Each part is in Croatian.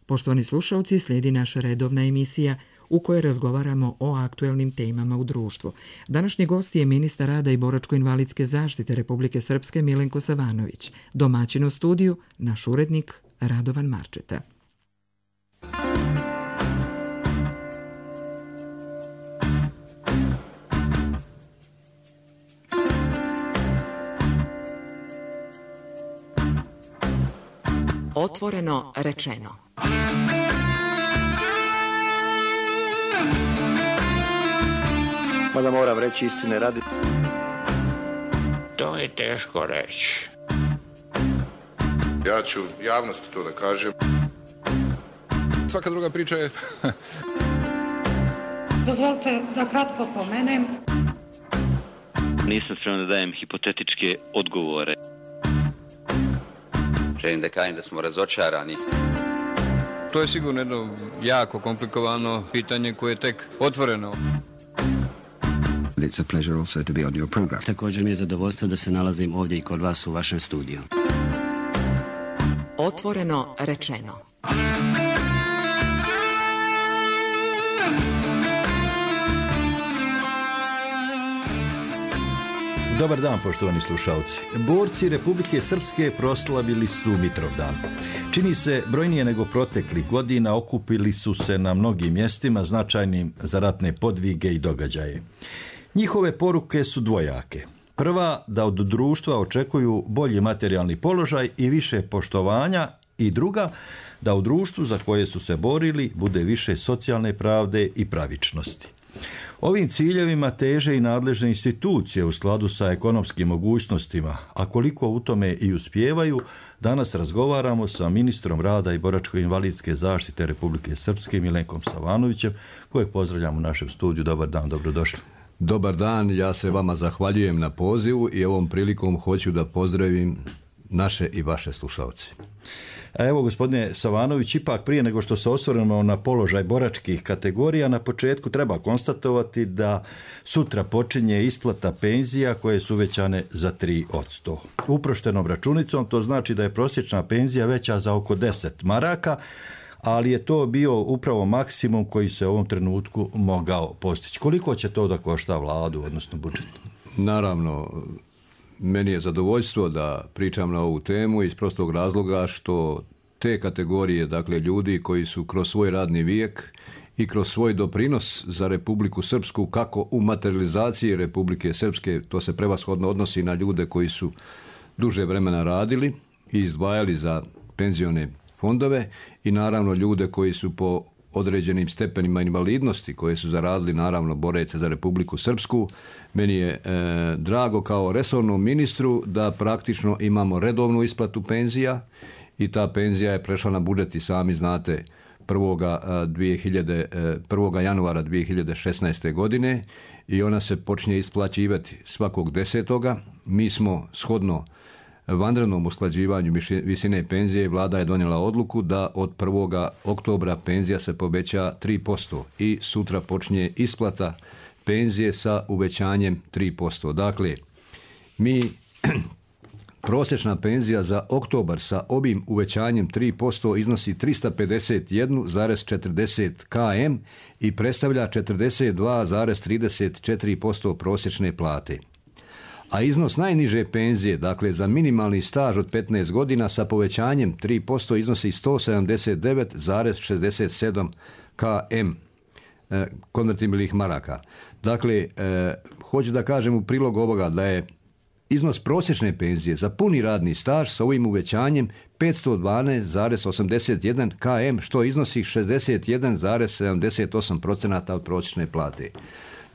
Poštovani slušalci, slijedi naša redovna emisija u kojoj razgovaramo o aktuelnim temama u društvu. Današnji gost je ministar rada i boračko-invalidske zaštite Republike Srpske Milenko Savanović. Domaćin u studiju, naš urednik Radovan Marčeta. Otvoreno rečeno. Mada moram reći istine radi. To je teško reći. Ja ću javnosti to da kažem. Svaka druga priča je... Dozvolite da kratko pomenem. Nisam spreman da dajem hipotetičke odgovore. Želim da kažem da smo razočarani. To je sigurno jedno jako komplikovano pitanje koje je tek otvoreno. It's a pleasure also to be on your program. Također mi je zadovoljstvo da se nalazim ovdje i kod vas u vašem studiju. Otvoreno rečeno. Dobar dan, poštovani slušalci. Borci Republike Srpske proslavili su Mitrovdan. Čini se brojnije nego proteklih godina, okupili su se na mnogim mjestima značajnim za ratne podvige i događaje. Njihove poruke su dvojake. Prva, da od društva očekuju bolji materijalni položaj i više poštovanja, i druga, da u društvu za koje su se borili bude više socijalne pravde i pravičnosti. Ovim ciljevima teže i nadležne institucije u skladu sa ekonomskim mogućnostima, a koliko u tome i uspijevaju, danas razgovaramo sa ministrom rada i boračko-invalidske zaštite Republike Srpske Milenkom Savanovićem, kojeg pozdravljam u našem studiju. Dobar dan, dobrodošli. Dobar dan, ja se vama zahvaljujem na pozivu i ovom prilikom hoću da pozdravim naše i vaše slušalce. Evo, gospodine Savanović, ipak prije nego što se osvrnemo na položaj boračkih kategorija, na početku treba konstatovati da sutra počinje isplata penzija koje su uvećane za 3%. Uproštenom računicom to znači da je prosječna penzija veća za oko 10 maraka, ali je to bio upravo maksimum koji se u ovom trenutku mogao postići. Koliko će to da košta vladu, odnosno budžet? Naravno, meni je zadovoljstvo da pričam na ovu temu iz prostog razloga što te kategorije, dakle ljudi koji su kroz svoj radni vijek i kroz svoj doprinos za Republiku Srpsku, kako u materializaciji Republike Srpske, to se prevashodno odnosi na ljude koji su duže vremena radili i izdvajali za penzione fondove, i naravno ljude koji su po određenim stepenima invalidnosti koje su zaradili, naravno boreće za Republiku Srpsku. Meni je drago kao resornom ministru da praktično imamo redovnu isplatu penzija i ta penzija je prešla na budžet, i sami znate, 1. januara 2016. godine, i ona se počinje isplaćivati svakog 10. Mi smo shodno vanrednom usklađivanju visine penzije, vlada je donijela odluku da od 1. oktobra penzija se poveća 3% i sutra počinje isplata penzije sa uvećanjem 3%. Dakle, prosječna penzija za oktobar sa ovim uvećanjem 3% iznosi 351,40 km i predstavlja 42,34% prosječne plate. A iznos najniže penzije, dakle za minimalni staž od 15 godina sa povećanjem 3% iznosi 179,67 km konvertibilnih maraka. Dakle, hoću da kažem u prilog ovoga da je iznos prosječne penzije za puni radni staž sa ovim uvećanjem 512,81 km, što iznosi 61,78% od prosječne plate.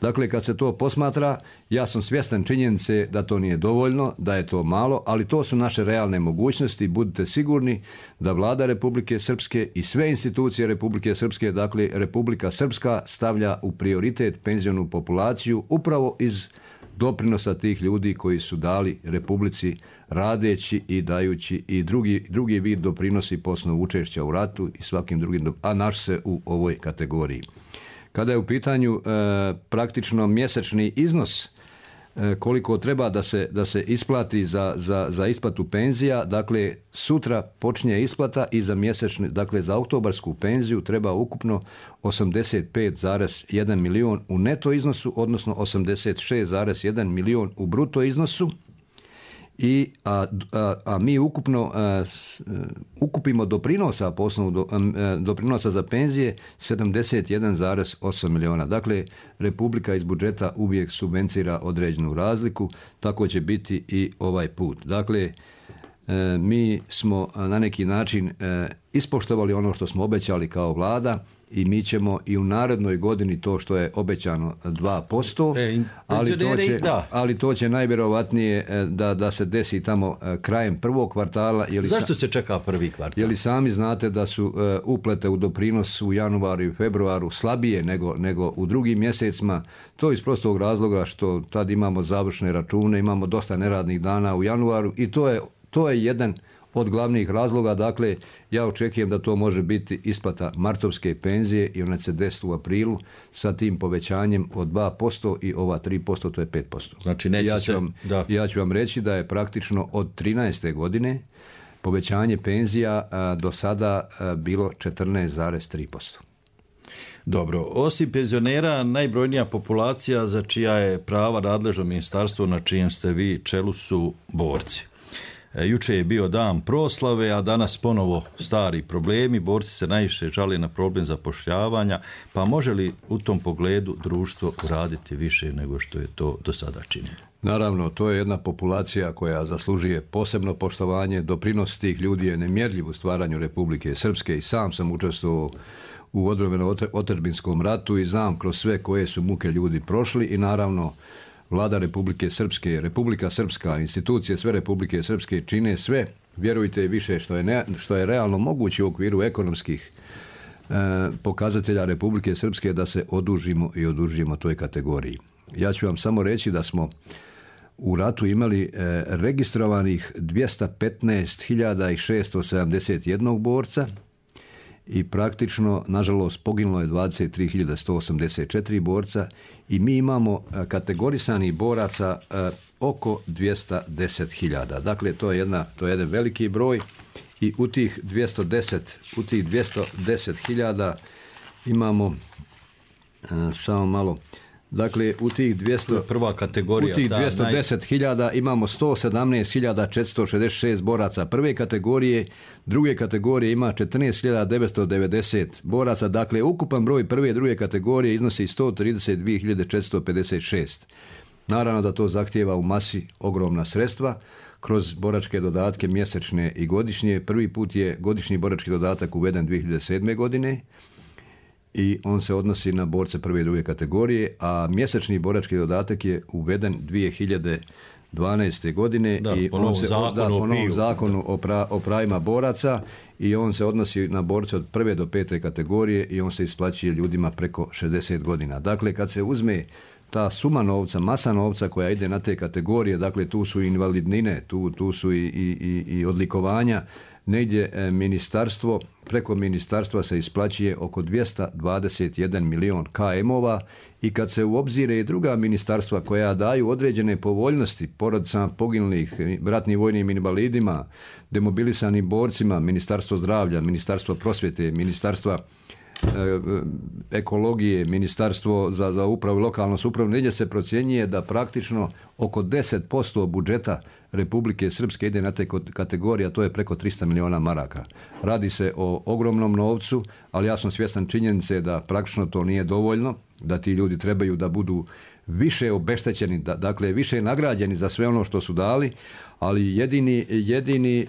Dakle, kad se to posmatra, ja sam svjestan činjenice da to nije dovoljno, da je to malo, ali to su naše realne mogućnosti. Budite sigurni da vlada Republike Srpske i sve institucije Republike Srpske, dakle Republika Srpska, stavlja u prioritet penzionu populaciju upravo iz doprinosa tih ljudi koji su dali Republici radeći i dajući i drugi vid doprinosi po osnovu učešća u ratu i svakim drugim, a naš se u ovoj kategoriji. Kada je u pitanju praktično mjesečni iznos koliko treba da se isplati za isplatu penzija. Dakle, sutra počinje isplata i za mjesečni, dakle za oktobarsku penziju treba ukupno 85,1 milion u neto iznosu, odnosno 86,1 milion u bruto iznosu. A mi ukupno ukupimo doprinosa po osnovu doprinosa za penzije 71,8 miliona. Dakle, Republika iz budžeta uvijek subvencira određenu razliku, tako će biti i ovaj put. Dakle, mi smo na neki način ispoštovali ono što smo obećali kao vlada i mi ćemo i u narednoj godini to što je obećano 2%, ali to će najvjerovatnije da se desi tamo krajem prvog kvartala. Zašto se čeka prvi kvartal? Jer sami znate da su uplete u doprinos u januaru i februaru slabije nego u drugim mjesecima. To iz prostog razloga što tad imamo završne račune, imamo dosta neradnih dana u januaru i to je jedan od glavnih razloga. Dakle, ja očekujem da to može biti isplata martovske penzije i ona će se desiti u aprilu sa tim povećanjem od 2% i ova 3%, to je 5%. Znači, ja ću vam reći da je praktično od 13. godine povećanje penzija do sada bilo 14,3%. Dobro, osim penzionera, najbrojnija populacija za čija je prava nadležno ministarstvo na čijem ste vi čelu su borci. Juče je bio dan proslave, a danas ponovo stari problemi. Borci se najviše žale na problem zapošljavanja, pa može li u tom pogledu društvo uraditi više nego što je to do sada činilo? Naravno, to je jedna populacija koja zaslužuje posebno poštovanje. Doprinos tih ljudi je nemjerljiv u stvaranju Republike Srpske i sam sam učestvovao u odbrambeno-otadžbinskom ratu i znam kroz sve koje su muke ljudi prošli i naravno Vlada Republike Srpske, Republika Srpska, institucije sve Republike Srpske čine sve, vjerujte više što je realno moguće u okviru ekonomskih pokazatelja Republike Srpske da se odužimo toj kategoriji. Ja ću vam samo reći da smo u ratu imali registrovanih 215.671 borca i praktično, nažalost, poginulo je 23.184 borca i mi imamo kategorisanih boraca oko 210.000. Dakle, to je jedan veliki broj i u tih 210.000 imamo samo malo. Dakle, u tih 210.000 imamo 117.466 boraca prve kategorije, druge kategorije ima 14.990 boraca, dakle ukupan broj prve i druge kategorije iznosi 132.456. Naravno da to zahtijeva u masi ogromna sredstva kroz boračke dodatke mjesečne i godišnje. Prvi put je godišnji borački dodatak uveden 2007. godine i on se odnosi na borce prve i druge kategorije, a mjesečni borački dodatak je uveden 2012. godine i on se po novom zakonu o pravima boraca i on se odnosi na borce od prve do pete kategorije i on se isplaćuje ljudima preko 60 godina. Dakle, kad se uzme ta suma novca, masa novca koja ide na te kategorije, dakle tu su invalidnine, tu su i odlikovanja, negdje ministarstvo, preko ministarstva se isplaćuje oko 221 milion KM-ova i kad se u obzire i druga ministarstva koja daju određene povoljnosti porodicama poginulih, ratnim vojnim invalidima, demobilisanim borcima, Ministarstvo zdravlja, Ministarstvo prosvjete, Ministarstva ekologije, Ministarstvo za upravu i lokalnu samoupravu, negdje se procjenjuje da praktično oko 10% budžeta Republike Srpske ide na te kategorije, a to je preko 300 miliona maraka. Radi se o ogromnom novcu, ali ja sam svjestan činjenice da praktično to nije dovoljno, da ti ljudi trebaju da budu više obeštećeni, dakle više nagrađeni za sve ono što su dali, ali jedini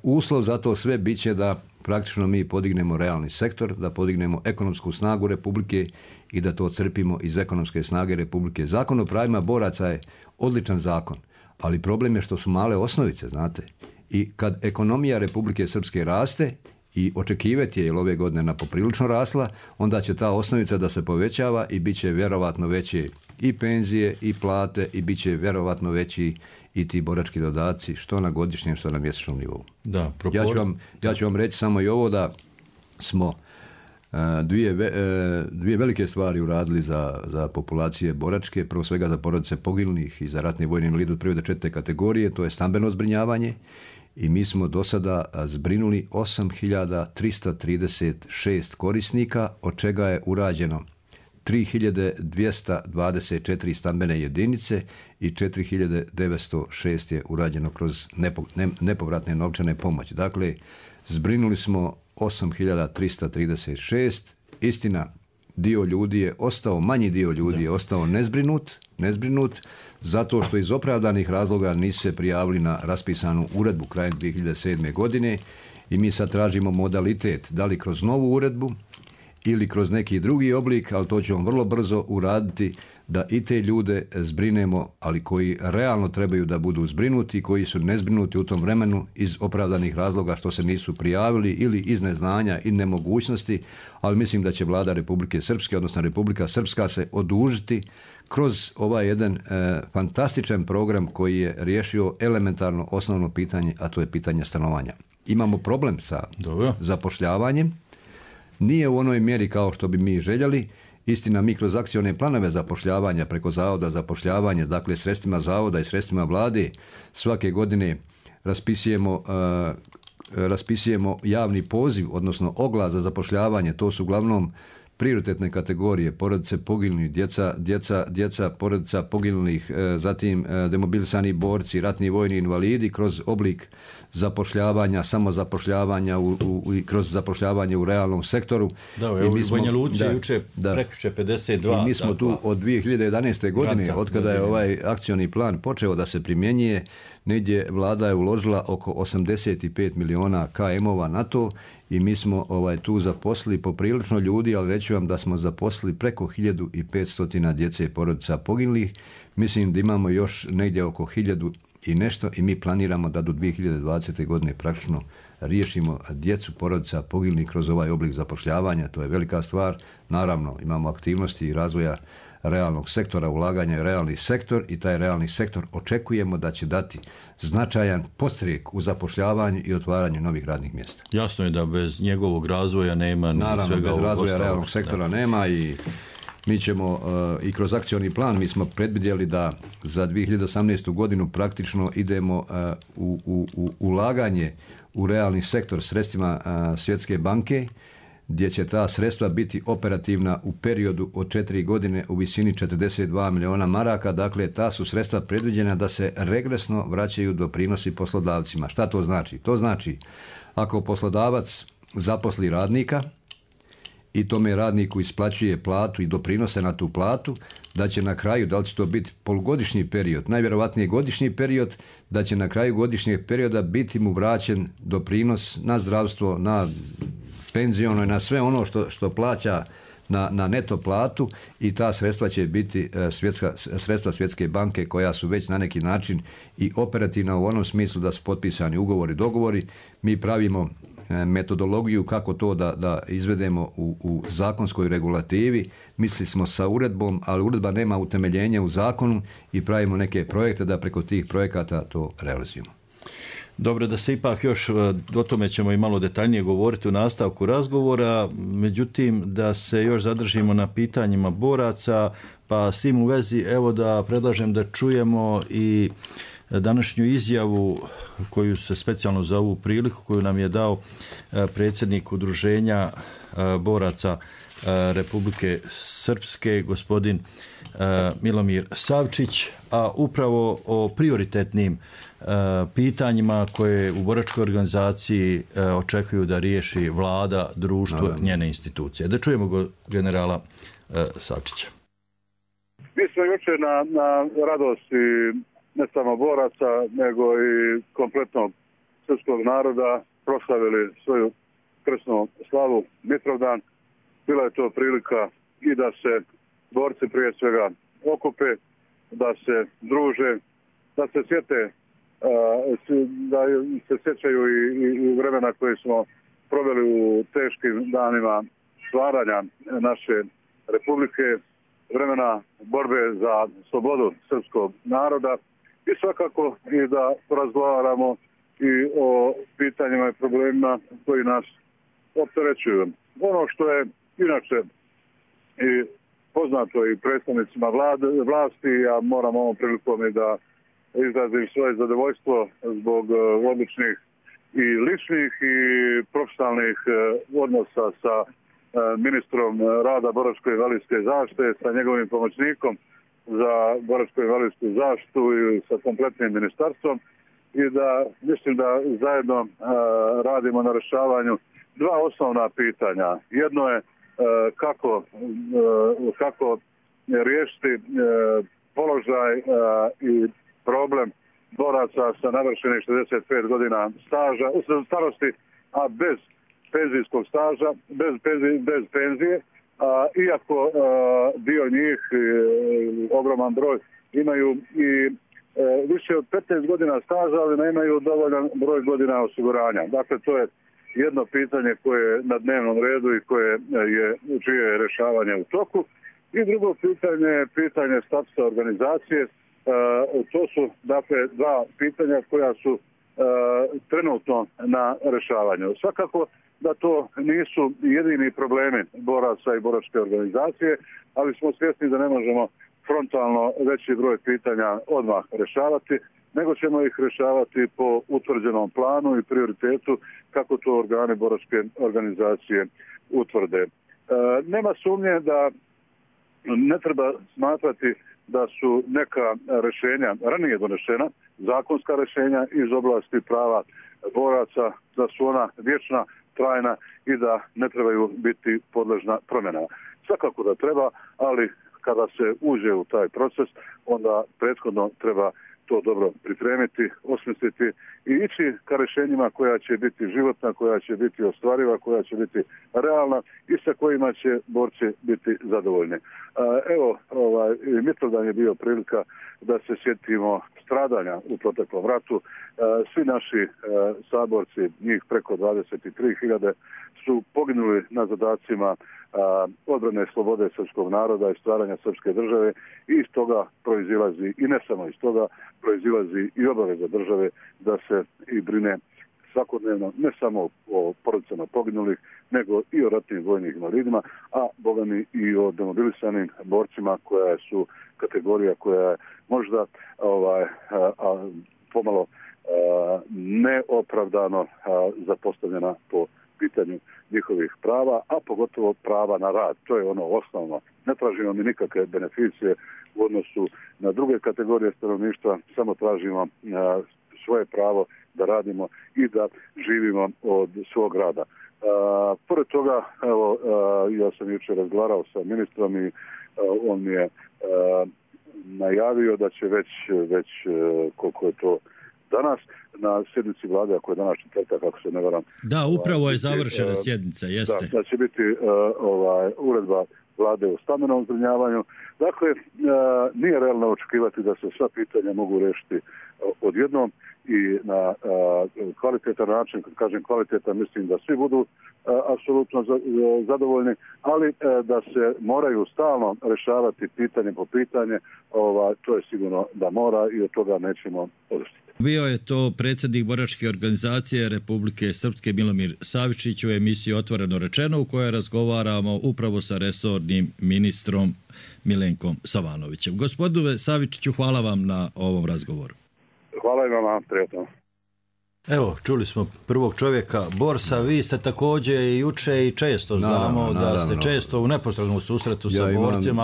uslov za to sve bit će da praktično mi podignemo realni sektor, da podignemo ekonomsku snagu Republike i da to crpimo iz ekonomske snage Republike. Zakon o pravima boraca je odličan zakon, ali problem je što su male osnovice, znate. I kad ekonomija Republike Srpske raste i očekivati je, jer ove godine na poprilično rasla, onda će ta osnovica da se povećava i bit će vjerovatno veće i penzije i plate i bit će vjerovatno veći i ti borački dodaci, što na godišnjem, što na mjesečnom nivou. Da, ja ću vam reći samo i ovo da smo dvije velike stvari uradili za populacije boračke, prvo svega za porodice poginulih i za ratne vojne invalide od 1. do 4. kategorije, to je stambeno zbrinjavanje i mi smo do sada zbrinuli 8.336 korisnika, od čega je urađeno 3.224 stambene jedinice i 4.906 je urađeno kroz nepovratne novčane pomoći. Dakle, zbrinuli smo 8.336, istina, dio ljudi je ostao, manji dio ljudi je ostao nezbrinut, zato što iz opravdanih razloga nisu se prijavili na raspisanu uredbu krajem 2007. godine i mi sad tražimo modalitet, da li kroz novu uredbu ili kroz neki drugi oblik, ali to ćemo vrlo brzo uraditi da i te ljude zbrinemo, ali koji realno trebaju da budu zbrinuti, koji su nezbrinuti u tom vremenu iz opravdanih razloga što se nisu prijavili ili iz neznanja i nemogućnosti, ali mislim da će Vlada Republike Srpske, odnosno Republika Srpska se odužiti kroz ovaj jedan fantastičan program koji je riješio elementarno osnovno pitanje, a to je pitanje stanovanja. Imamo problem sa zapošljavanjem, nije u onoj mjeri kao što bi mi željeli. Istina, mi kroz akcione planove zapošljavanja preko Zavoda za zapošljavanje, dakle sredstvima Zavoda i sredstvima Vlade, svake godine raspisujemo javni poziv, odnosno oglas za zapošljavanje. To su uglavnom prioritetne kategorije, porodice poginulih, djeca porodica poginulih, zatim demobilisani borci, ratni vojni invalidi kroz oblik zapošljavanja, samozapošljavanja i kroz zapošljavanje u realnom sektoru. Da, evo u Banja Luci juče prekjuče 52. I mi smo tu od 2011. godine, od kada je ovaj akcioni plan počeo da se primjenjuje, negdje vlada je uložila oko 85 miliona KM-ova na to i mi smo tu zaposlili poprilično ljudi, ali reći vam da smo zaposlili preko 1500 djece i porodica poginulih. Mislim da imamo još negdje oko 1000 i nešto i mi planiramo da do 2020. godine praktično riješimo djecu porodica poginulih kroz ovaj oblik zapošljavanja. To je velika stvar. Naravno, imamo aktivnosti i razvoja realnog sektora, ulaganja u realni sektor i taj realni sektor očekujemo da će dati značajan podstrijek u zapošljavanju i otvaranju novih radnih mjesta. Jasno je da bez njegovog razvoja nema ni svega ovog ostalog. Naravno, bez razvoja realnog sektora nema i mi ćemo i kroz akcioni plan, mi smo predvidjeli da za 2018. godinu praktično idemo u ulaganje u realni sektor sredstvima Svjetske banke, gdje će ta sredstva biti operativna u periodu od 4 godine u visini 42 miliona maraka. Dakle, ta su sredstva predviđena da se regresno vraćaju doprinosi poslodavcima. Šta to znači? To znači, ako poslodavac zaposli radnika i tome radniku isplaćuje platu i doprinose na tu platu, da će na kraju, da li će to biti polugodišnji period, najvjerovatnije godišnji period, da će na kraju godišnjeg perioda biti mu vraćen doprinos na zdravstvo, na penziono i na sve ono što plaća na neto platu i ta sredstva će biti sredstva Svjetske banke koja su već na neki način i operativna u onom smislu da su potpisani ugovori, dogovori. Mi pravimo metodologiju kako to da izvedemo u zakonskoj regulativi. Mislili smo sa uredbom, ali uredba nema utemeljenja u zakonu i pravimo neke projekte da preko tih projekata to realizujemo. Dobro, da se ipak još, o tome ćemo i malo detaljnije govoriti u nastavku razgovora, međutim da se još zadržimo na pitanjima boraca, pa s tim u vezi evo da predlažem da čujemo i današnju izjavu koju se specijalno za ovu priliku koju nam je dao predsjednik Udruženja boraca Republike Srpske, gospodin Milomir Savčić, a upravo o prioritetnim pitanjima koje u boračkoj organizaciji očekuju da riješi vlada, društvo, njene institucije. Da čujemo generala Savčića. Mi smo jučer na radosti ne samo boraca, nego i kompletnog srpskog naroda proslavili svoju krsnu slavu Mitrovdan. Bila je to prilika i da se borci prije svega okupe, da se druže, da se sjete, da se sjećaju i vremena koje smo proveli u teškim danima stvaranja naše republike, vremena borbe za slobodu srpskog naroda i svakako i da razgovaramo i o pitanjima i problemima koji nas opterećuju. ono što je inače i poznato i predstavnicima vlasti, ja moram ovom prilikom i da izrazim svoje zadovoljstvo zbog odličnih i ličnih i profesionalnih odnosa sa ministrom rada boračko-invalidske zaštite, sa njegovim pomoćnikom za boračko-invalidsku zaštitu i sa kompletnim ministarstvom, i da mislim da zajedno radimo na rješavanju dva osnovna pitanja. Jedno je kako riješiti položaj i problem boraca sa navršenih 65 godina staža, starosti, a bez penzijskog staža, bez penzije, iako dio njih, ogroman broj, imaju i više od 15 godina staža, ali nemaju dovoljan broj godina osiguranja. Dakle, to je jedno pitanje koje je na dnevnom redu i čije je rješavanje u toku. I drugo pitanje statusa organizacije. To su, dakle, dva pitanja koja su trenutno na rješavanju. Svakako da to nisu jedini problemi boraca i boračke organizacije, ali smo svjesni da ne možemo frontalno veći broj pitanja odmah rješavati, nego ćemo ih rješavati po utvrđenom planu i prioritetu kako to organi boračke organizacije utvrde. Nema sumnje da ne treba smatrati da su neka rješenja ranije donešena, zakonska rješenja iz oblasti prava boraca, da su ona vječna, trajna i da ne trebaju biti podležna promjena. Svakako da treba, ali kada se uđe u taj proces, onda prethodno treba to dobro pripremiti, osmisliti i ići ka rješenjima koja će biti životna, koja će biti ostvariva, koja će biti realna i sa kojima će borci biti zadovoljni. Evo, Mitrovdan je bio prilika da se sjetimo stradanja u proteklom ratu. Svi naši saborci, njih preko 23.000, su poginuli na zadacima odbrane slobode srpskog naroda i stvaranja srpske države, i iz toga proizilazi, i ne samo iz toga, proizilazi i obaveza države da se i brine svakodnevno ne samo o porodicama poginulih, nego i o ratnim vojnim invalidima, a bogami i o demobilisanim borcima, koja su kategorija koja je možda pomalo neopravdano zapostavljena po pitanju njihovih prava, a pogotovo prava na rad. To je ono osnovno. Ne tražimo mi nikakve beneficije u odnosu na druge kategorije stanovništva, samo tražimo svoje pravo da radimo i da živimo od svog rada. Pored toga, evo, ja sam jučer razgovarao sa ministrom i on mi je najavio da će već koliko je to danas, na sjednici vlade, ako je danas četvrtak, ako se ne varam. Da, upravo je završena sjednica, jeste. Da će biti uredba vlade o stambenom zbrinjavanju. Dakle, nije realno očekivati da se sva pitanja mogu riješiti odjednom i na kvalitetan način. Kad kažem kvalitetan, mislim da svi budu apsolutno zadovoljni, ali da se moraju stalno rješavati pitanje po pitanje, to je sigurno da mora i od toga nećemo odustati. Bio je to predsjednik boračke organizacije Republike Srpske Milomir Savičić u emisiji Otvoreno rečeno, u kojoj razgovaramo upravo sa resornim ministrom Milenkom Savanovićem. Gospodine Savičiću, hvala vam na ovom razgovoru. Hvala i vama, prijatno. Evo, čuli smo prvog čovjeka, borca. Vi ste također i juče i često znamo da ste često u neposrednom susretu sa borcima.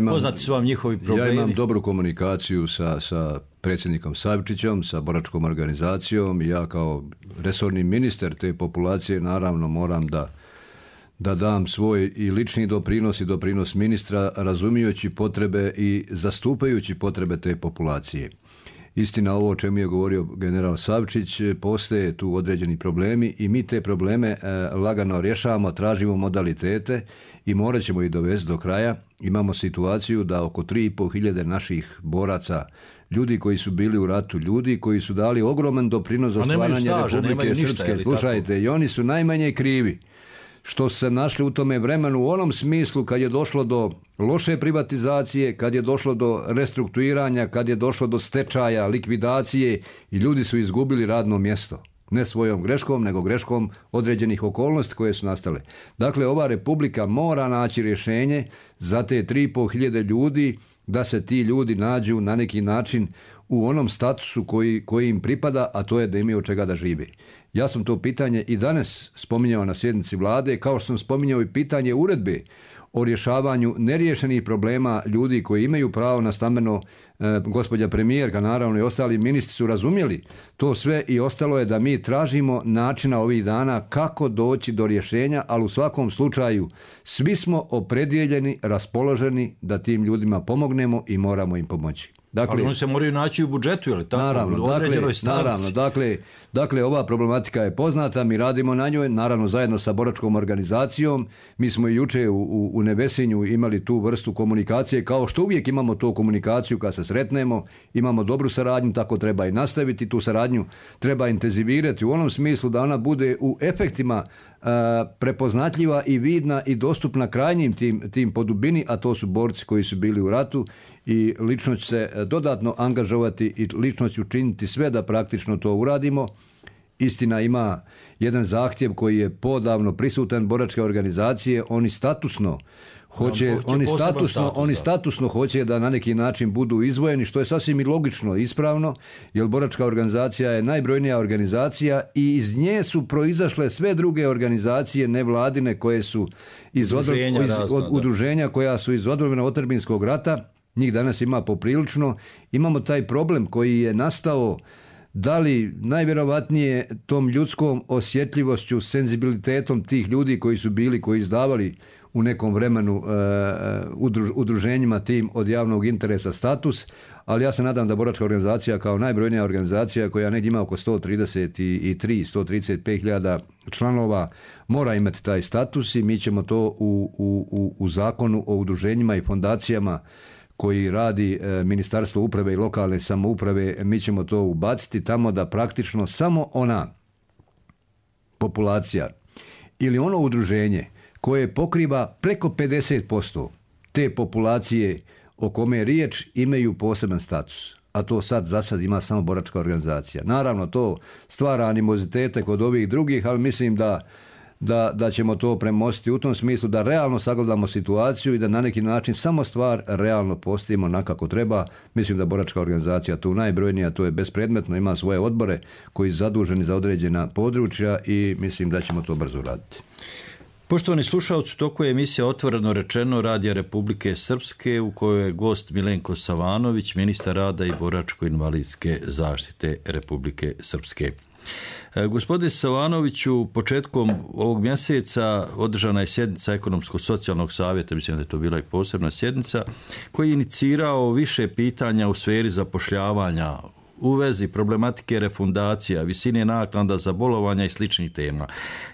Poznati su vam njihovi problemi. Ja imam dobru komunikaciju sa predsjednikom Savičićem, sa boračkom organizacijom, i ja kao resorni ministar te populacije naravno moram da dam svoj i lični doprinos i doprinos ministra, razumijući potrebe i zastupajući potrebe te populacije. Istina, ovo o čemu je govorio general Savičić, postoje tu određeni problemi i mi te probleme lagano rješavamo, tražimo modalitete i morat ćemo ih dovesti do kraja. Imamo situaciju da oko 3.500 naših boraca, ljudi koji su bili u ratu, ljudi koji su dali ogroman doprinos za stvaranje Republike Srpske, slušajte, i oni su najmanje krivi što su se našli u tome vremenu u onom smislu kad je došlo do loše privatizacije, kad je došlo do restrukturiranja, kad je došlo do stečaja, likvidacije i ljudi su izgubili radno mjesto. Ne svojom greškom, nego greškom određenih okolnosti koje su nastale. Dakle, ova republika mora naći rješenje za te 3.500 ljudi, da se ti ljudi nađu na neki način u onom statusu koji im pripada, a to je da imaju od čega da žive. Ja sam to pitanje i danas spominjao na sjednici vlade, kao što sam spominjao i pitanje uredbe o rješavanju neriješenih problema ljudi koji imaju pravo na stambeno. Gospođa premijerka, naravno i ostali ministri su razumjeli to sve i ostalo je da mi tražimo načina ovih dana kako doći do rješenja, ali u svakom slučaju svi smo opredijeljeni, raspoloženi da tim ljudima pomognemo i moramo im pomoći. Dakle, ali oni se moraju naći u budžetu, je li tako? Naravno, dakle, ova problematika je poznata, mi radimo na njoj, naravno zajedno sa boračkom organizacijom. Mi smo i jučer u Nevesinju imali tu vrstu komunikacije, kao što uvijek imamo tu komunikaciju kad se sretnemo, imamo dobru saradnju, tako treba i nastaviti, tu saradnju treba intenzivirati u onom smislu da ona bude u efektima prepoznatljiva i vidna i dostupna krajnjim tim po dubini, a to su borci koji su bili u ratu, i lično će se dodatno angažovati i lično će učiniti sve da praktično to uradimo. Istina, ima jedan zahtjev koji je podavno prisutan boračke organizacije, oni statusno hoće da na neki način budu izdvojeni, što je sasvim i logično i ispravno, jer boračka organizacija je najbrojnija organizacija i iz nje su proizašle sve druge organizacije nevladine koje su iz udruženja koja su iz odbrane otadžbinskog rata. Njih danas ima poprilično. Imamo taj problem koji je nastao, da li najvjerovatnije tom ljudskom osjetljivošću, senzibilitetom tih ljudi koji su bili, koji izdavali u nekom vremenu udruženjima tim od javnog interesa status, ali ja se nadam da boračka organizacija kao najbrojnija organizacija koja negdje ima oko 135.000 članova mora imati taj status i mi ćemo to u zakonu o udruženjima i fondacijama koji radi Ministarstvo uprave i lokalne samouprave, mi ćemo to ubaciti tamo da praktično samo ona populacija ili ono udruženje koje pokriva preko 50% te populacije o kome je riječ imaju poseban status. A to za sad ima samo boračka organizacija. Naravno, to stvara animozitete kod ovih drugih, ali mislim da ćemo to premostiti u tom smislu da realno sagledamo situaciju i da na neki način samo stvar realno postavimo onako treba. Mislim da boračka organizacija tu najbrojnija, to je bespredmetno, ima svoje odbore koji su zaduženi za određena područja i mislim da ćemo to brzo raditi. Poštovani slušalci, toku je emisija Otvoreno rečeno Radija Republike Srpske u kojoj je gost Milenko Savanović, ministar rada i boračko-invalidske zaštite Republike Srpske. Gospodine Savanoviću, početkom ovog mjeseca održana je sjednica Ekonomsko-socijalnog savjeta, mislim da je to bila i posebna sjednica, koji je inicirao više pitanja u sferi zapošljavanja, u vezi problematike refundacija, visine naknada za bolovanja i sličnih tema.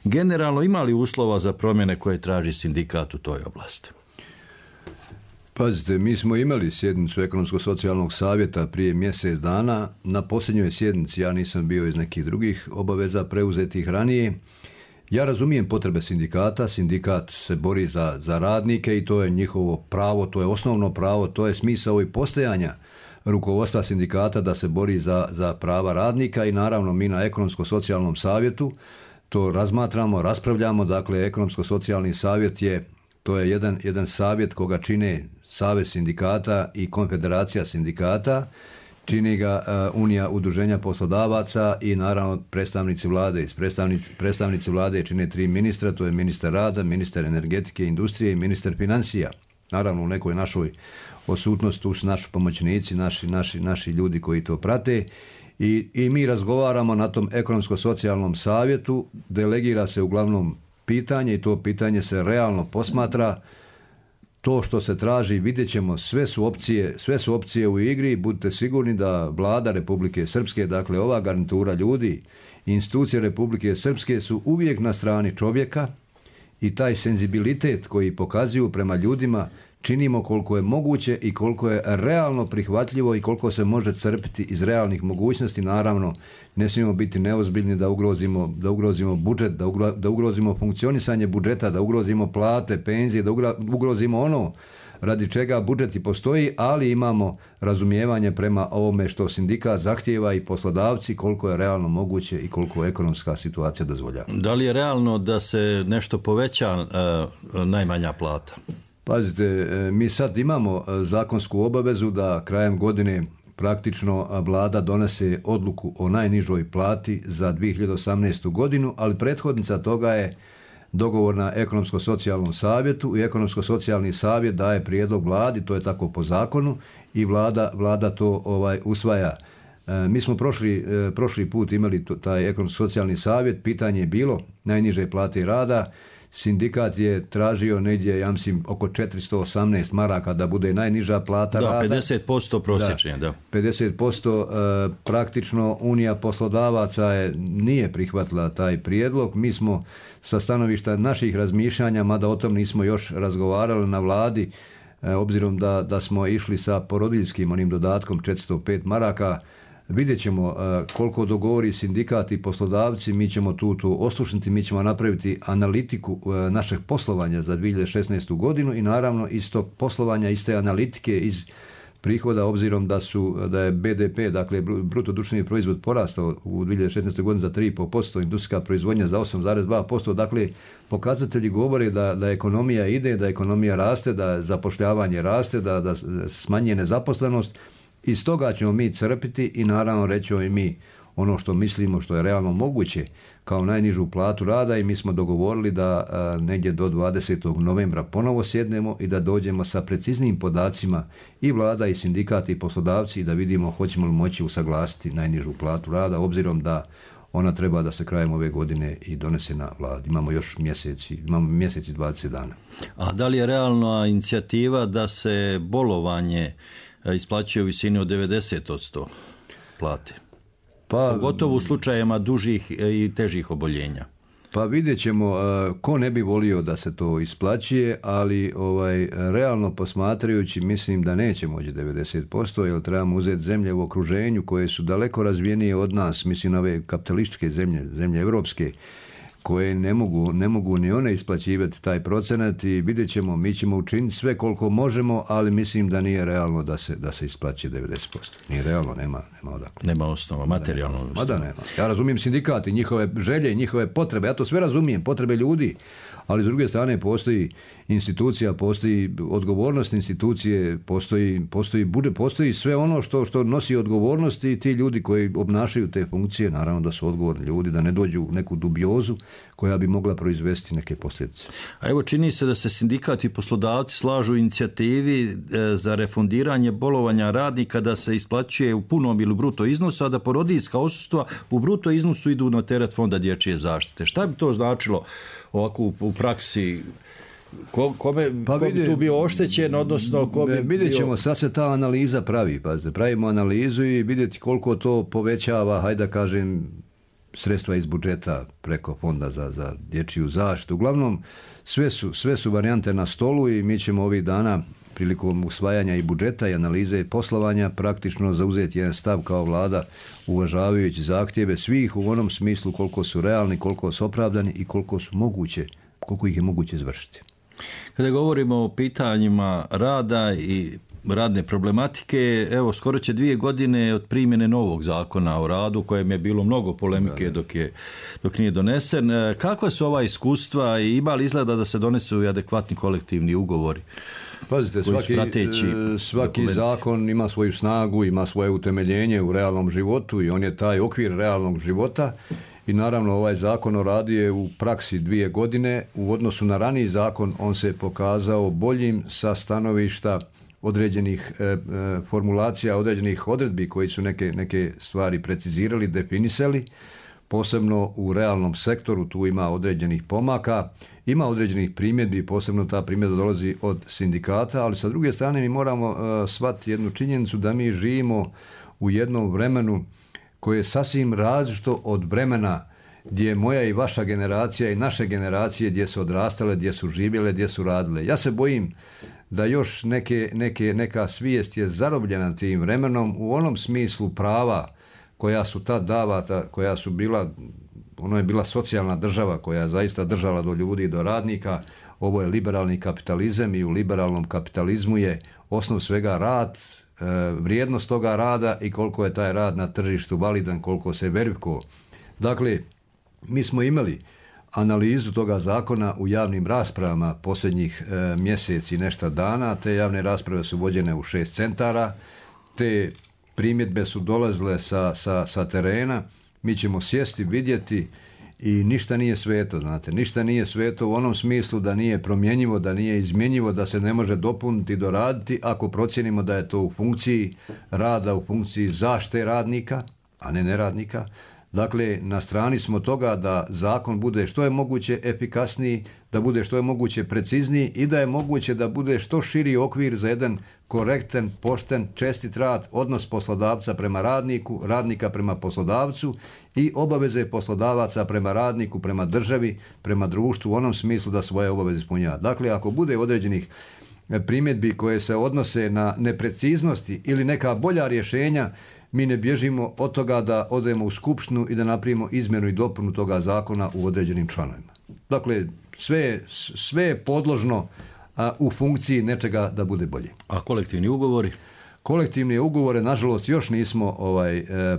Generalno, ima li uslova za promjene koje traži sindikat u toj oblasti? Pazite, mi smo imali sjednicu Ekonomsko-socijalnog savjeta prije mjesec dana. Na posljednjoj sjednici ja nisam bio iz nekih drugih obaveza preuzetih ranije. Ja razumijem potrebe sindikata. Sindikat se bori za radnike i to je njihovo pravo, to je osnovno pravo, to je smisao i postojanja rukovodstva sindikata da se bori za prava radnika i naravno mi na Ekonomsko-socijalnom savjetu to razmatramo, raspravljamo. Dakle, Ekonomsko-socijalni savjet to je jedan savjet koga čine Savez sindikata i Konfederacija sindikata, čini ga Unija udruženja poslodavaca i naravno predstavnici vlade. Predstavnici vlade čine 3 ministra, to je ministar rada, ministar energetike i industrije i ministar financija. Naravno u nekoj našoj odsutnosti tu su naši pomoćnici, naši ljudi koji to prate i mi razgovaramo na tom Ekonomsko-socijalnom savjetu, delegira se uglavnom pitanje i to pitanje se realno posmatra. To što se traži, vidjet ćemo, sve su opcije u igri. Budite sigurni da vlada Republike Srpske, dakle ova garnitura ljudi, institucije Republike Srpske su uvijek na strani čovjeka i taj senzibilitet koji pokazuju prema ljudima činimo koliko je moguće i koliko je realno prihvatljivo i koliko se može crpiti iz realnih mogućnosti. Naravno, ne smijemo biti neozbiljni da ugrozimo budžet, da ugrozimo funkcionisanje budžeta, da ugrozimo plate, penzije, da ugrozimo ono radi čega budžet i postoji, ali imamo razumijevanje prema ovome što sindikat zahtijeva i poslodavci, koliko je realno moguće i koliko ekonomska situacija dozvoljava. Da li je realno da se nešto poveća najmanja plata? Pazite, mi sad imamo zakonsku obavezu da krajem godine praktično vlada donese odluku o najnižoj plati za 2018. godinu, ali prethodnica toga je dogovor na ekonomsko-socijalnom savjetu i ekonomsko-socijalni savjet daje prijedlog vladi, to je tako po zakonu, i vlada to usvaja. Mi smo prošli put imali taj ekonomsko-socijalni savjet, pitanje je bilo najniže plate rada. Sindikat je tražio negdje, ja mislim, oko 418 maraka da bude najniža plata rada. 50% prosječnije, da. 50% praktično Unija poslodavaca nije prihvatila taj prijedlog. Mi smo sa stanovišta naših razmišljanja, mada o tom nismo još razgovarali na vladi, obzirom da smo išli sa porodiljskim onim dodatkom 405 maraka, vidjet ćemo koliko dogovori sindikat i poslodavci, mi ćemo tu oslušnuti, mi ćemo napraviti analitiku našeg poslovanja za 2016. godinu i naravno iz tog poslovanja, iz te analitike, iz prihoda, obzirom da je BDP, dakle bruto društveni proizvod porastao u 2016. godini za 3,5%, industrijska proizvodnja za 8,2%, dakle pokazatelji govore da ekonomija ide, da ekonomija raste, da zapošljavanje raste, da smanjuje nezaposlenost. Iz toga ćemo mi crpiti i naravno rećemo i mi ono što mislimo, što je realno moguće kao najnižu platu rada i mi smo dogovorili da negdje do 20. novembra ponovo sjednemo i da dođemo sa preciznijim podacima i vlada i sindikat i poslodavci i da vidimo hoćemo li moći usaglasiti najnižu platu rada, obzirom da ona treba da se krajem ove godine i donese na vladi. Imamo još mjeseci i 20 dana. A da li je realna inicijativa da se bolovanje isplaćuje u visini od 90% plate? Pogotovo u slučajevima dužih i težih oboljenja. Pa vidjet ćemo, ko ne bi volio da se to isplaćuje, ali realno posmatrajući mislim da neće moći 90%, jer trebamo uzeti zemlje u okruženju koje su daleko razvijenije od nas, mislim na ove kapitalističke zemlje evropske, koje ne mogu ni one isplaćivati taj procenat i vidjet ćemo, mi ćemo učiniti sve koliko možemo, ali mislim da nije realno da se isplaći 90%. Nije realno, nema odakle. Nema osnova, materijalno osnova. Da nema. Ja razumijem sindikati, njihove želje, njihove potrebe, ja to sve razumijem, potrebe ljudi, ali s druge strane postoji institucija, postoji odgovornost institucije, postoji budžet, postoji sve ono što nosi odgovornost i ti ljudi koji obnašaju te funkcije, naravno da su odgovorni ljudi, da ne dođu u neku dubiozu koja bi mogla proizvesti neke posljedice. A evo čini se da se sindikati i poslodavci slažu u inicijativi za refundiranje bolovanja radnika da se isplaćuje u punom ili bruto iznosu, a da porodiljska odsustva u bruto iznosu idu na teret Fonda dječje zaštite. Šta bi to značilo ovako u praksi? Ko bi tu bio oštećen, odnosno ko bi vidjet ćemo, sad se ta analiza pravi, pazite, pravimo analizu i vidjeti koliko to povećava, hajde da kažem, sredstva iz budžeta preko Fonda za dječju zaštitu. Uglavnom, sve su varijante na stolu i mi ćemo ovih dana prilikom usvajanja i budžeta i analize poslovanja praktično zauzeti jedan stav kao vlada, uvažavajući zahtjeve svih u onom smislu koliko su realni, koliko su opravdani i koliko ih je moguće izvršiti. Kada govorimo o pitanjima rada i radne problematike, evo skoro će 2 godine od primjene novog zakona o radu, kojem je bilo mnogo polemike dok nije donesen. Kakva su ova iskustva i ima li izgleda da se donesu i adekvatni kolektivni ugovori? Pazite, svaki zakon ima svoju snagu, ima svoje utemeljenje u realnom životu i on je taj okvir realnog života. I naravno ovaj zakon o radu je u praksi 2 godine. U odnosu na raniji zakon on se pokazao boljim sa stanovišta određenih formulacija, određenih odredbi koji su neke stvari precizirali, definisali. Posebno u realnom sektoru tu ima određenih pomaka, ima određenih primjedbi, posebno ta primjedba dolazi od sindikata, ali sa druge strane mi moramo shvatiti jednu činjenicu da mi živimo u jednom vremenu koje je sasvim različito od vremena gdje je moja i vaša generacija i naše generacije gdje su odrastale, gdje su živjele, gdje su radile. Ja se bojim da još neka svijest je zarobljena tim vremenom u onom smislu prava koja su tad davata, koja su bila ono je bila socijalna država koja je zaista držala do ljudi i do radnika. Ovo je liberalni kapitalizam i u liberalnom kapitalizmu je osnov svega rad, vrijednost toga rada i koliko je taj rad na tržištu validan, koliko se verifikuje. Dakle, mi smo imali analizu toga zakona u javnim raspravama posljednjih mjeseci i nešto dana. Te javne rasprave su vođene u 6 centara. Te primjedbe su dolazile sa terena. Mi ćemo sjesti, vidjeti i ništa nije sveto, znate. Ništa nije sveto u onom smislu da nije promjenjivo, da nije izmjenjivo, da se ne može dopuniti, doraditi ako procijenimo da je to u funkciji rada, u funkciji zaštite radnika, a ne neradnika. Dakle, na strani smo toga da zakon bude što je moguće efikasniji, da bude što je moguće precizniji i da je moguće da bude što širi okvir za jedan korektan, pošten, čestit rad, odnos poslodavca prema radniku, radnika prema poslodavcu i obaveze poslodavaca prema radniku, prema državi, prema društvu u onom smislu da svoje obaveze ispunjava. Dakle, ako bude određenih primjedbi koje se odnose na nepreciznosti ili neka bolja rješenja, mi ne bježimo od toga da odemo u skupštinu i da napravimo izmjenu i dopunu toga zakona u određenim članovima. Dakle, sve je podložno u funkciji nečega da bude bolje. A kolektivni ugovori? Kolektivne ugovore, nažalost, još nismo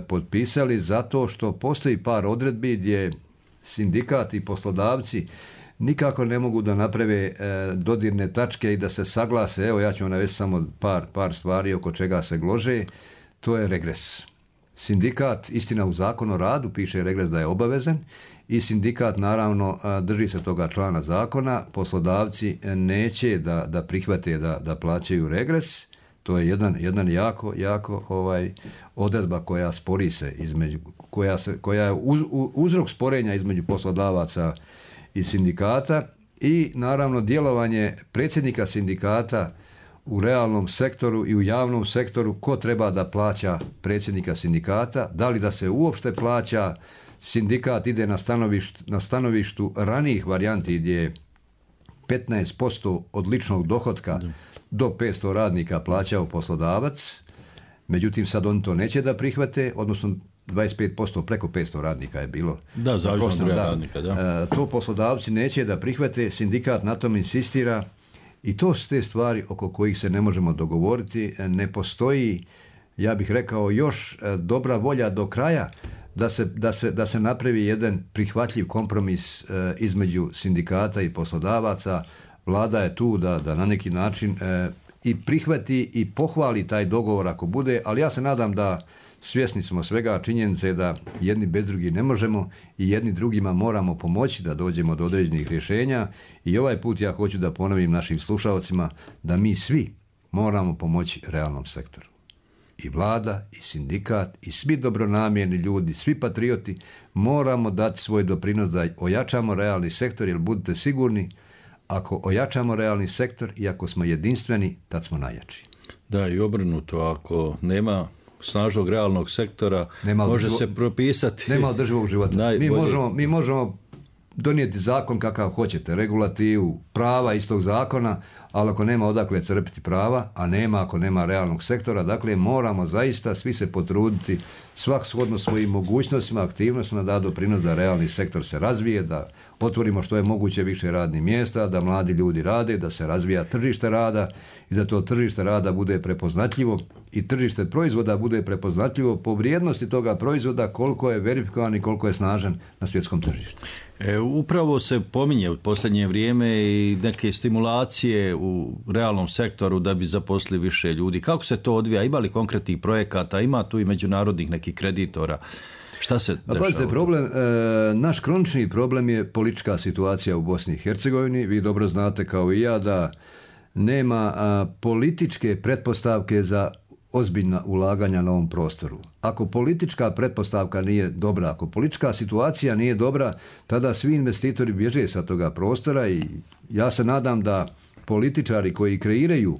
potpisali zato što postoji par odredbi gdje sindikati i poslodavci nikako ne mogu da naprave dodirne tačke i da se saglase. Evo, ja ću vam navesti samo par stvari oko čega se glože. To je regres. Sindikat, istina u Zakonu o radu piše regres da je obavezan i sindikat naravno drži se toga člana zakona, poslodavci neće da prihvate da plaćaju regres. To je jedan jako odredba koja spori se koja je uzrok sporenja između poslodavaca i sindikata i naravno djelovanje predsjednika sindikata u realnom sektoru i u javnom sektoru, ko treba da plaća predsjednika sindikata, da li da se uopšte plaća. Sindikat ide na stanovištu ranijih varijanti gdje je 15% od ličnog dohotka do 500 radnika plaćao poslodavac, međutim sad oni to neće da prihvate, odnosno 25% preko 500 radnika je bilo. Da, zavisno od radnika, da. To poslodavci neće da prihvate, sindikat na tom insistira. I to su te stvari oko kojih se ne možemo dogovoriti. Ne postoji, ja bih rekao, još dobra volja do kraja da se napravi jedan prihvatljiv kompromis između sindikata i poslodavaca. Vlada je tu da na neki način i prihvati i pohvali taj dogovor ako bude, ali ja se nadam da svjesni smo svega činjenice da jedni bez drugih ne možemo i jedni drugima moramo pomoći da dođemo do određenih rješenja i ovaj put ja hoću da ponovim našim slušalcima da mi svi moramo pomoći realnom sektoru. I vlada, i sindikat, i svi dobronamjerni ljudi, svi patrioti moramo dati svoj doprinos da ojačamo realni sektor, jer budite sigurni, ako ojačamo realni sektor i ako smo jedinstveni, tad smo najjači. Da, i obrnuto, ako nema snažnog realnog sektora, može se propisati. Nema održivog života. Mi možemo donijeti zakon kakav hoćete, regulativu, prava iz tog zakona, ali ako nema odakle crpiti prava, a nema ako nema realnog sektora, dakle moramo zaista svi se potruditi svak shodno svojim mogućnostima, aktivnostima da doprinos da realni sektor se razvije, da otvorimo što je moguće više radnih mjesta, da mladi ljudi rade, da se razvija tržište rada i da to tržište rada bude prepoznatljivo i tržište proizvoda bude prepoznatljivo po vrijednosti toga proizvoda, koliko je verifikovan i koliko je snažan na svjetskom tržištu. Upravo se pominje u posljednje vrijeme i neke stimulacije u realnom sektoru da bi zaposlili više ljudi. Kako se to odvija? Ima li konkretnih projekata? Ima tu i međunarodnih nekih kreditora? Šta se dešava? Naš kronični problem je politička situacija u Bosni i Hercegovini. Vi dobro znate kao i ja da nema političke pretpostavke za ozbiljna ulaganja na ovom prostoru. Ako politička pretpostavka nije dobra, ako politička situacija nije dobra, tada svi investitori bježe sa toga prostora i ja se nadam da političari koji kreiraju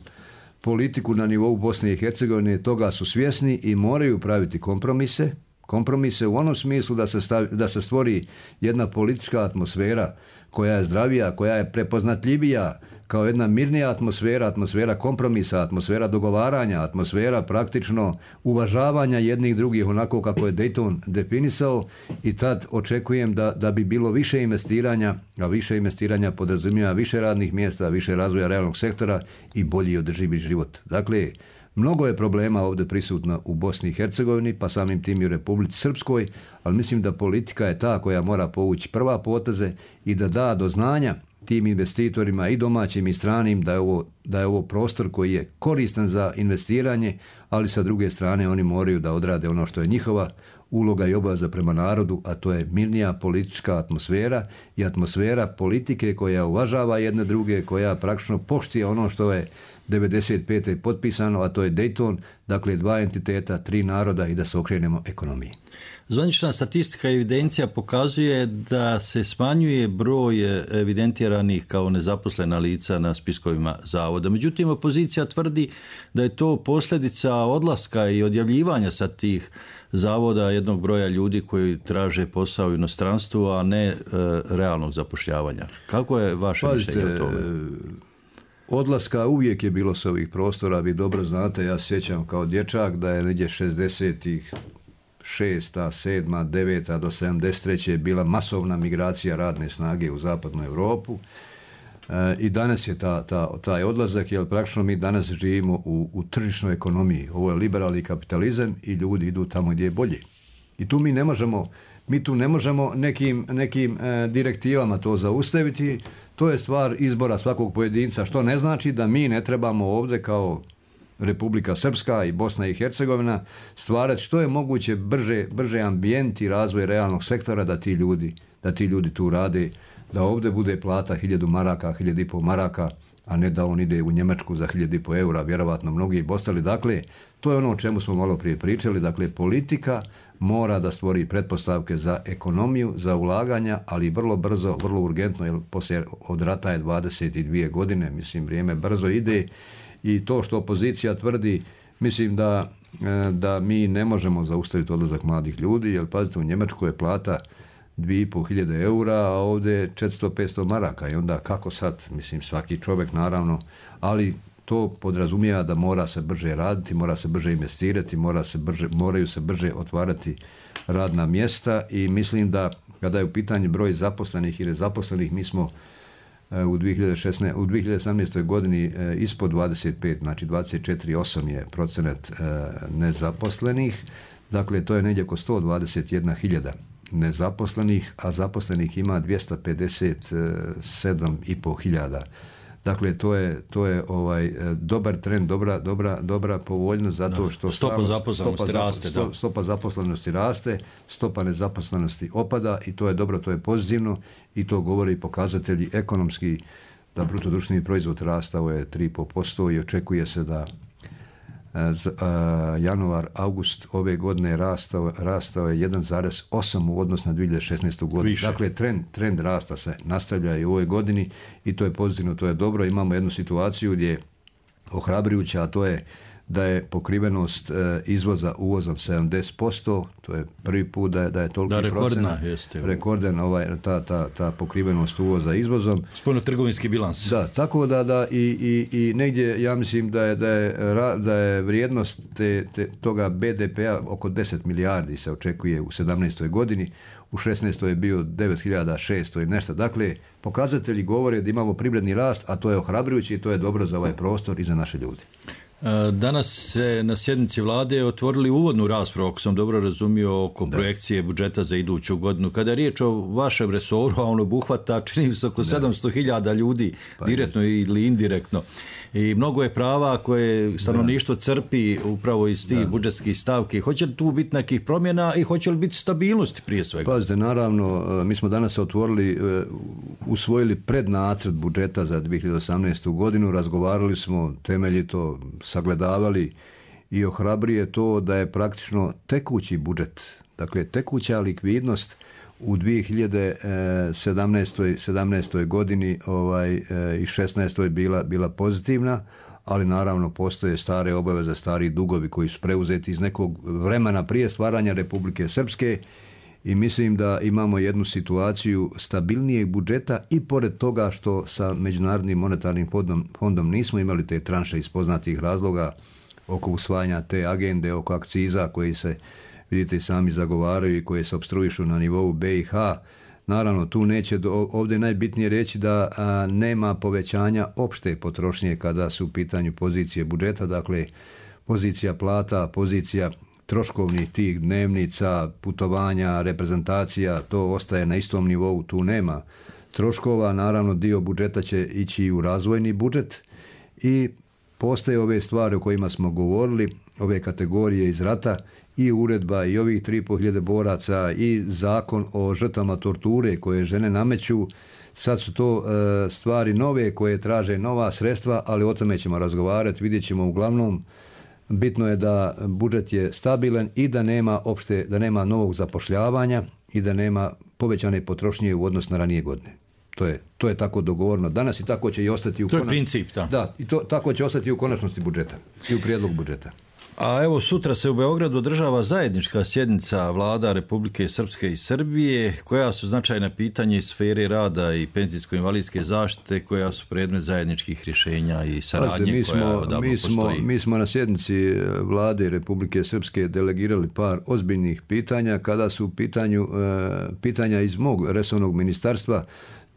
politiku na nivou Bosne i Hercegovine toga su svjesni i moraju praviti kompromise kompromise u onom smislu da se stvori jedna politička atmosfera koja je zdravija, koja je prepoznatljivija, kao jedna mirnija atmosfera kompromisa, atmosfera dogovaranja, atmosfera praktično uvažavanja jednih drugih onako kako je Dayton definisao, i tad očekujem da bi bilo više investiranja, a više investiranja podrazumijeva više radnih mjesta, više razvoja realnog sektora i bolji održivi život. Dakle, mnogo je problema ovdje prisutno u Bosni i Hercegovini, pa samim tim i u Republici Srpskoj, ali mislim da politika je ta koja mora povući prva poteze i da do znanja tim investitorima i domaćim i stranim da je ovo prostor koji je koristan za investiranje, ali sa druge strane oni moraju da odrade ono što je njihova uloga i obaveza prema narodu, a to je mirnija politička atmosfera i atmosfera politike koja uvažava jedne druge, koja praktično poštuje ono što je 95. potpisano, a to je Dayton, dakle 2 entiteta, 3 naroda i da se okrenemo ekonomiji. Zvanična statistika i evidencija pokazuje da se smanjuje broj evidentiranih kao nezaposlena lica na spiskovima zavoda. Međutim, opozicija tvrdi da je to posljedica odlaska i odjavljivanja sa tih zavoda jednog broja ljudi koji traže posao u inostranstvu, a ne realnog zapošljavanja. Kako je vaše mišljenje o tome? Odlaska uvijek je bilo s ovih prostora, vi dobro znate, ja sjećam kao dječak da je negdje 60-ih, 6., 7., 9. do 73. bila masovna migracija radne snage u zapadnu Europu. I danas je taj odlazak, jer praktično mi danas živimo u tržišnoj ekonomiji. Ovo je liberalni kapitalizam i ljudi idu tamo gdje je bolje. I tu mi tu ne možemo nekim direktivama to zaustaviti. To je stvar izbora svakog pojedinca, što ne znači da mi ne trebamo ovdje kao Republika Srpska i Bosna i Hercegovina stvarati što je moguće brže ambijent i razvoj realnog sektora da ti ljudi tu rade, da ovdje bude plata 1000 maraka, 1500 maraka, a ne da on ide u Njemačku za 1500 eura, vjerovatno mnogi i ostali. Dakle, to je ono o čemu smo malo prije pričali. Dakle, politika mora da stvori pretpostavke za ekonomiju, za ulaganja, ali vrlo brzo, vrlo urgentno, jer poslije od rata je 22 godine, mislim, vrijeme brzo ide. I to što opozicija tvrdi, mislim da mi ne možemo zaustaviti odlazak mladih ljudi, jer pazite, u Njemačkoj je plata 2500 eura, a ovdje je 400-500 maraka. I onda kako sad, mislim, svaki čovjek naravno, ali to podrazumijeva da mora se brže raditi, mora se brže investirati, moraju se brže otvarati radna mjesta, i mislim da kada je u pitanju broj zaposlenih i nezaposlenih, mi smo u 2018. godini ispod 25, znači 24,8 je procenat nezaposlenih, dakle to je negdje oko 121.000 nezaposlenih, a zaposlenih ima 257.500. Dakle, to je dobar trend, dobra povoljnost, zato što stopa zaposlenosti raste, stopa nezaposlenosti opada, i to je dobro, to je pozitivno, i to govori pokazatelji ekonomski, da bruto društveni proizvod rastao je 3,5% i očekuje se da januar, august ove godine rastao je 1,8 u odnosu na 2016. godinu. Više. Dakle, trend rasta se nastavlja i u ovoj godini, i to je pozitivno, to je dobro. Imamo jednu situaciju gdje je ohrabrujuća, a to je da je pokrivenost izvoza uvozom 70%, to je prvi put da je toliki procenat. Rekordan ta pokrivenost uvoza izvozom. Spoljnotrgovinski bilans. Da, tako da i negdje ja mislim da je vrijednost toga BDP-a oko 10 milijardi se očekuje u 17. godini, u 16. je bio 9.600 i nešto. Dakle, pokazatelji govore da imamo privredni rast, a to je ohrabrujuće i to je dobro za ovaj prostor i za naše ljude. Danas se na sjednici vlade otvorili uvodnu raspravu, ako sam dobro razumio, oko projekcije budžeta za iduću godinu. Kada je riječ o vašem resoru, a on obuhvata, čini se, oko 700.000 ljudi, direktno ili indirektno. I mnogo je prava koje stanovništvo crpi upravo iz tih budžetskih stavki. Hoće li tu biti nekih promjena i hoće li biti stabilnosti prije svega? Pazite, naravno, mi smo danas usvojili prednacrt budžeta za 2018. godinu, razgovarali smo temeljito, sagledavali, i ohrabruje to da je praktično tekući budžet, dakle tekuća likvidnost u 2017. godini i 16. bila pozitivna, ali naravno postoje stare obaveze, stari dugovi koji su preuzeti iz nekog vremena prije stvaranja Republike Srpske i mislim da imamo jednu situaciju stabilnijeg budžeta i pored toga što sa Međunarodnim monetarnim fondom nismo imali te tranše iz poznatih razloga oko usvajanja te agende, oko akciza koji se, vidite, sami zagovaraju i koje se opstruišu na nivou BiH. Naravno, tu neće, ovdje je najbitnije reći da nema povećanja opšte potrošnje kada su u pitanju pozicije budžeta, dakle pozicija plata, pozicija troškovnih tih dnevnica, putovanja, reprezentacija, to ostaje na istom nivou, tu nema troškova. Naravno, dio budžeta će ići u razvojni budžet i postoje ove stvari o kojima smo govorili, ove kategorije iz rata i uredba i ovih 3.500 boraca i zakon o žrtvama torture koje žene nameću. Sad su to stvari nove koje traže nova sredstva, ali o tome ćemo razgovarati, vidjet ćemo. Uglavnom, bitno je da budžet je stabilan i da nema novog zapošljavanja i da nema povećane potrošnje u odnosu na ranije godine. To je tako dogovorno danas i tako će i ostati u konačnosti. To je princip, da. I tako će ostati u konačnosti budžeta i u prijedlogu budžeta. A evo, sutra se u Beogradu održava zajednička sjednica vlada Republike Srpske i Srbije, koja su značajna pitanja iz sfere rada i penzijsko-invalidske zaštite, koja su predmet zajedničkih rješenja i saradnje koja odavno postoji. Mi smo na sjednici vlade Republike Srpske delegirali par ozbiljnih pitanja. Kada su u pitanju pitanja iz mog resornog ministarstva,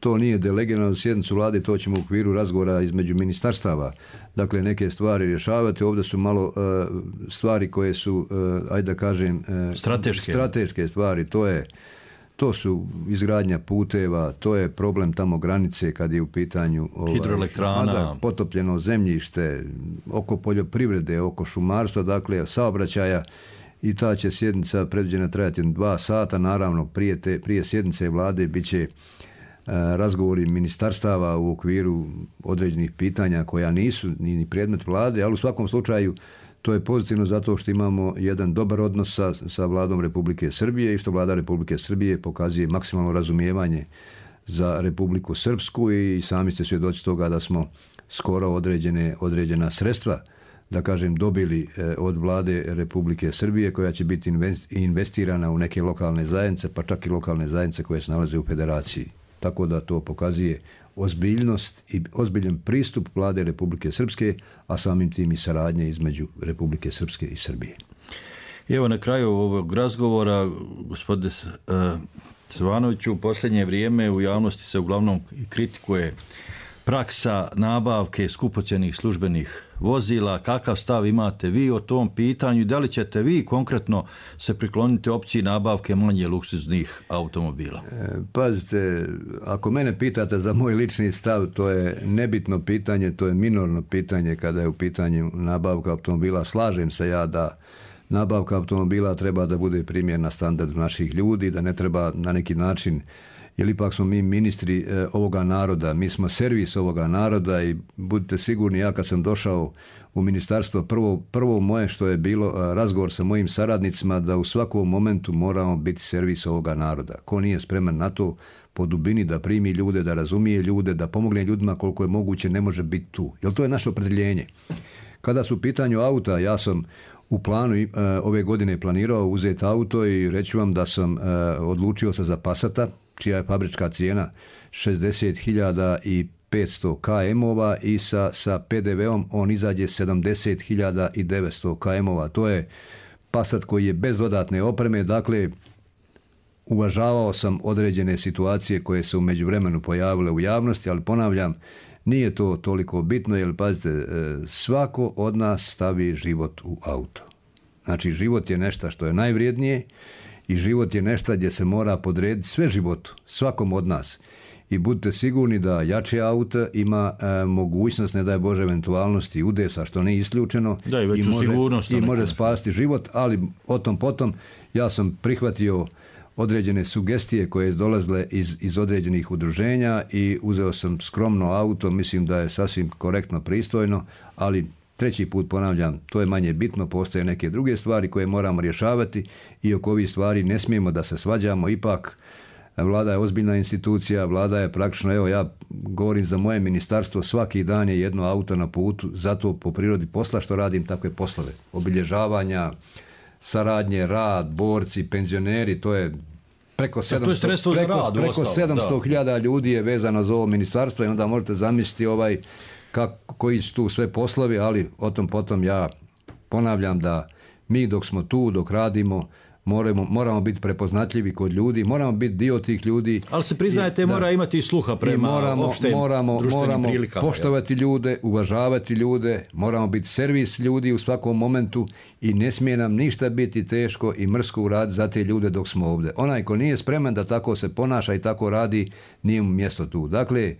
to nije delegirano na sjednicu vlade, to ćemo u okviru razgovora između ministarstava, dakle, neke stvari rješavati. Ovdje su malo stvari koje su, ajde da kažem, strateške stvari. To su izgradnja puteva, to je problem tamo granice kad je u pitanju hidroelektrana, potopljeno zemljište, oko poljoprivrede, oko šumarstva, dakle, saobraćaja. I ta će sjednica predviđena trajati 2 sata. Naravno, prije sjednice vlade bit će razgovori ministarstava u okviru određenih pitanja koja nisu ni predmet vlade, ali u svakom slučaju to je pozitivno zato što imamo jedan dobar odnos sa vladom Republike Srbije i što vlada Republike Srbije pokazuje maksimalno razumijevanje za Republiku Srpsku i sami ste svjedoci toga da smo skoro određena sredstva, da kažem, dobili od vlade Republike Srbije koja će biti investirana u neke lokalne zajednice, pa čak i lokalne zajednice koje se nalaze u federaciji. Tako da to pokazuje ozbiljnost i ozbiljan pristup vlade Republike Srpske, a samim tim i saradnje između Republike Srpske i Srbije. Evo, na kraju ovog razgovora, gospodine Stevanoviću, u posljednje vrijeme u javnosti se uglavnom kritikuje praksa nabavke skupocjenih službenih vozila. Kakav stav imate vi o tom pitanju i da li ćete vi konkretno se prikloniti opciji nabavke manje luksuznih automobila? Pazite, ako mene pitate za moj lični stav, to je nebitno pitanje, to je minorno pitanje kada je u pitanju nabavka automobila. Slažem se ja da nabavka automobila treba da bude primjerna standardu naših ljudi, da ne treba na neki način, jer ipak smo mi ministri ovoga naroda, mi smo servis ovoga naroda i budite sigurni, ja kad sam došao u ministarstvo, prvo moje što je bilo razgovor sa mojim saradnicima da u svakom momentu moramo biti servis ovoga naroda. Ko nije spreman na to po dubini da primi ljude, da razumije ljude, da pomogne ljudima koliko je moguće, ne može biti tu. Jer to je naše opredjeljenje. Kada su u pitanju auta, ja sam u planu ove godine planirao uzeti auto i reći vam da sam odlučio se za Passata, čija je fabrička cijena 60.500 km-ova i sa PDV-om on izađe 70.900 km-ova. To je Passat koji je bez dodatne opreme, dakle uvažavao sam određene situacije koje se u međuvremenu pojavile u javnosti, ali ponavljam, nije to toliko bitno, jer pazite, svako od nas stavi život u auto. Znači, život je nešto što je najvrijednije i život je nešto gdje se mora podrediti sve životu, svakom od nas. I budite sigurni da jače auto ima mogućnost, ne daj Bože, eventualnosti udesa, što nije isključeno, da, i može spasiti život, ali o tom potom ja sam prihvatio određene sugestije koje su dolazile iz određenih udruženja i uzeo sam skromno auto, mislim da je sasvim korektno, pristojno, ali treći put ponavljam, to je manje bitno, postoje neke druge stvari koje moramo rješavati i oko ovih stvari ne smijemo da se svađamo. Ipak vlada je ozbiljna institucija, vlada je praktično, evo ja govorim za moje ministarstvo, svaki dan je jedno auto na putu, zato po prirodi posla što radim takve poslove. Obilježavanja, saradnje, rad, borci, penzioneri, to je preko 700.000 ljudi je vezano za ovo ministarstvo i onda možete zamisliti koji su tu sve poslovi, ali o tom potom ja ponavljam da mi dok smo tu, dok radimo, moramo biti prepoznatljivi kod ljudi, moramo biti dio tih ljudi. Ali se priznajete, mora imati sluha prema opštem društvenim prilikama. Poštovati ljude, uvažavati ljude, moramo biti servis ljudi u svakom momentu i ne smije nam ništa biti teško i mrsko uraditi za te ljude dok smo ovdje. Onaj ko nije spreman da tako se ponaša i tako radi, nije mu mjesto tu. Dakle,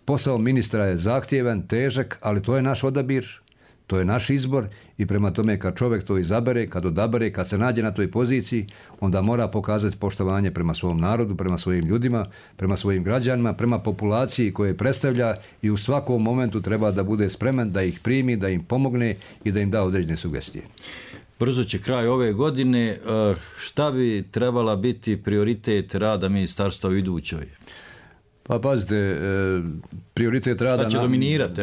posao ministra je zahtjevan, težak, ali to je naš odabir. To je naš izbor i prema tome kad čovjek to izabere, kad odabere, kad se nađe na toj poziciji, onda mora pokazati poštovanje prema svom narodu, prema svojim ljudima, prema svojim građanima, prema populaciji koje predstavlja i u svakom momentu treba da bude spreman da ih primi, da im pomogne i da im da određene sugestije. Brzo će kraj ove godine. Šta bi trebala biti prioritet rada ministarstva u idućoj? Pa pazite, prioritet rada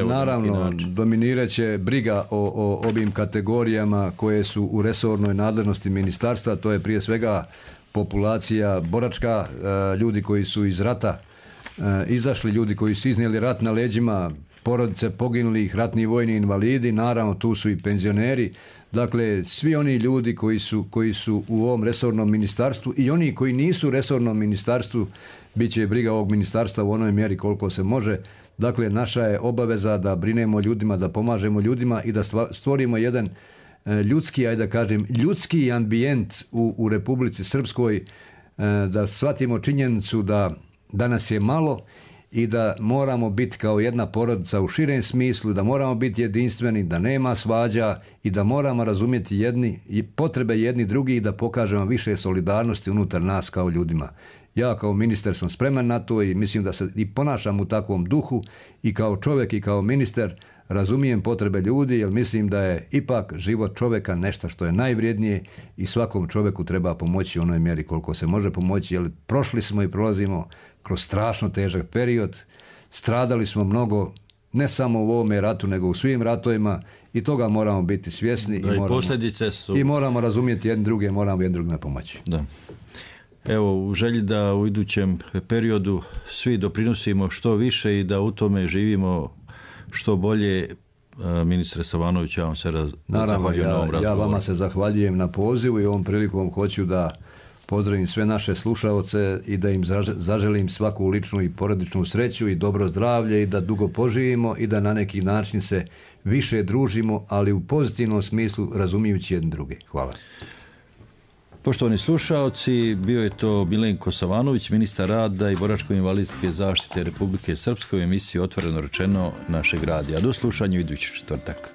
naravno dominirat će briga o ovim kategorijama koje su u resornoj nadležnosti ministarstva, to je prije svega populacija boračka, ljudi koji su iz rata izašli, ljudi koji su iznijeli rat na leđima, porodice poginulih, ratni vojni invalidi, naravno tu su i penzioneri, dakle svi oni ljudi koji su u ovom resornom ministarstvu i oni koji nisu u resornom ministarstvu, bit će briga ovog ministarstva u onoj mjeri koliko se može. Dakle, naša je obaveza da brinemo ljudima, da pomažemo ljudima i da stvorimo jedan ljudski ambijent u Republici Srpskoj, da shvatimo činjenicu da nas je malo i da moramo biti kao jedna porodica u širem smislu, da moramo biti jedinstveni, da nema svađa i da moramo razumjeti potrebe jedni drugih i da pokažemo više solidarnosti unutar nas kao ljudima. Ja kao ministar sam spreman na to i mislim da se i ponašam u takvom duhu i kao čovjek i kao ministar razumijem potrebe ljudi jer mislim da je ipak život čovjeka nešto što je najvrijednije i svakom čovjeku treba pomoći u onoj mjeri koliko se može pomoći jer prošli smo i prolazimo kroz strašno težak period, stradali smo mnogo ne samo u ovome ratu nego u svim ratovima i toga moramo biti svjesni i moramo razumjeti jedni druge, moramo jedni drugima pomoći. Da. Evo, u želji da u idućem periodu svi doprinosimo što više i da u tome živimo što bolje, ministre Savanović, ja vam se zahvaljujem na ovom razgovoru. Ja vama se zahvaljujem na pozivu i ovom prilikom hoću da pozdravim sve naše slušaoce i da im zaželim svaku ličnu i porodičnu sreću i dobro zdravlje i da dugo poživimo i da na neki način se više družimo, ali u pozitivnom smislu razumijući jedni druge. Hvala. Poštovani slušaoci, bio je to Milenko Savanović, ministar rada i boračko-invalidske zaštite Republike Srpske u emisiji Otvoreno rečeno našeg radija. Do slušanja idući četvrtak.